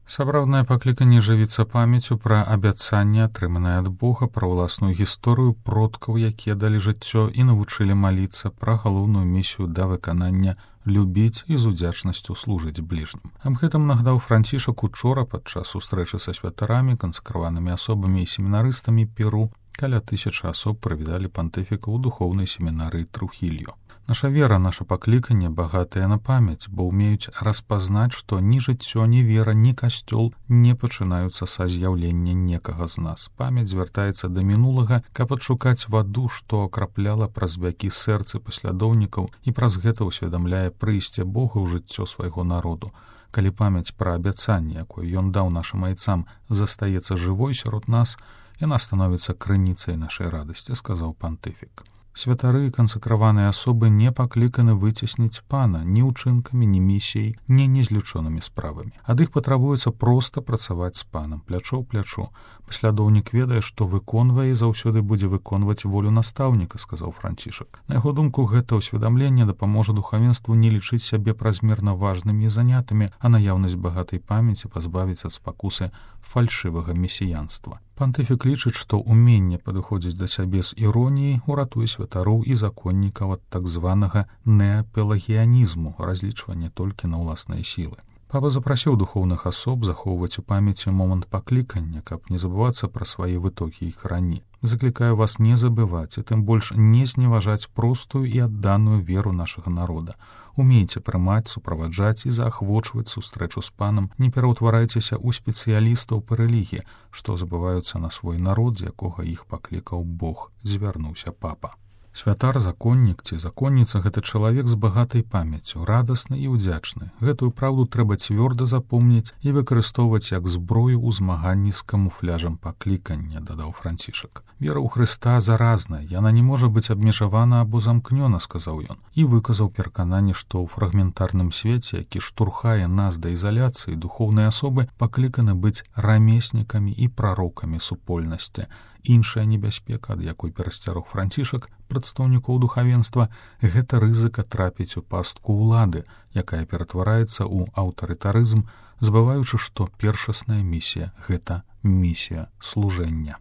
Сапраўднае пакліканне жывіцца памяццю пра абяцанне, атрыманае ад Бога, пра ўласную гісторыю продкаў, якія далі жыццё і навучылі маліцца, пра галоўную місію да выканання любіць і з удзячнасцю служыць бліжнім. Аб гэтым нагадаў Францішак учора падчас сустрэчы са святарамі, кансакраванымі асобамі і семінарыстамі Перу. Каля 1000 асоб прывіталі пантыфіка ў духоўнай семінарыі Трухільо. Наша вера, наша пакліканне багатая на памяць, бо ўмеюць распазнаць, што ні жыццё, ні вера, ні касцёл не пачынаюцца са з'яўлення некага з нас. Памяць звяртаецца да мінулага, каб адшукаць ваду, што акрапляла праз вякі сэрцы паслядоўнікаў і праз гэта ўсведамляе прыйсце Бога ў жыццё свайго народу. Калі памяць пра абяцанне, якое ён даў нашым айцам, застаецца жывой сярод нас, яна становіцца крыніцай нашай радасці, сказаў пантыфік. Святары і кансакраваныя асобы не пакліканы выцесніць пана ні ўчынкамі, ні місіяй, ні незлічонымі справамі. Ад іх патрабуецца проста працаваць з панам, плячо ў плячо. Паслядоўнік ведае, што выконвае і заўсёды будзе выконваць волю настаўніка, сказаў Францішак. На яго думку, гэта ўсведамленне дапаможа духавенству не лічыць сябе празмерна важнымі і занятымі, а наяўнасць багатай памяці пазбавіць ад спакусы фальшывага месіянства. Пантыфік лічыць, што ўменне падыходзіць да сябе з іроніяй уратуе святароў і законнікаў ад так званага неапелагіянізму, разлічвання толькі на ўласныя сілы. Папа запрасіў духоўных асоб захоўваць у памяці момант паклікання, каб не забывацца пра свае вытокі і карані. Заклікаю вас не забываць, і тым больш не зневажаць простую і адданую веру нашага народа. Умейце прымаць, суправаджаць і заахвочваць сустрэчу з панам, не пераўтварайцеся ў спецыялістаў па рэлігіі, што забываюцца на свой народ, з якога іх паклікаў Бог, звярнуўся папа. Святар, законнік ці законніца — гэта чалавек з багатай памяццю, радасны і ўдзячны. Гэтую праўду трэба цвёрда запомніць і выкарыстоўваць як зброю ў змаганні з камуфляжам паклікання, дадаў Францішак. Вера ў Хрыста заразная, яна не можа быць абмежавана або замкнёна, сказаў ён, і выказаў перакананне, што ў фрагментарным свеце, які штурхае нас да ізаляцыі, духоўныя асобы пакліканы быць рамеснікамі і прарокамі супольнасці. Іншая небяспека, ад якой перасцярог Францішак прадстаўнікоў духавенства, гэта рызыка трапіць у пастку ўлады, якая ператвараецца ў аўтарытарызм, забываючы, што першасная місія — гэта місія служэння.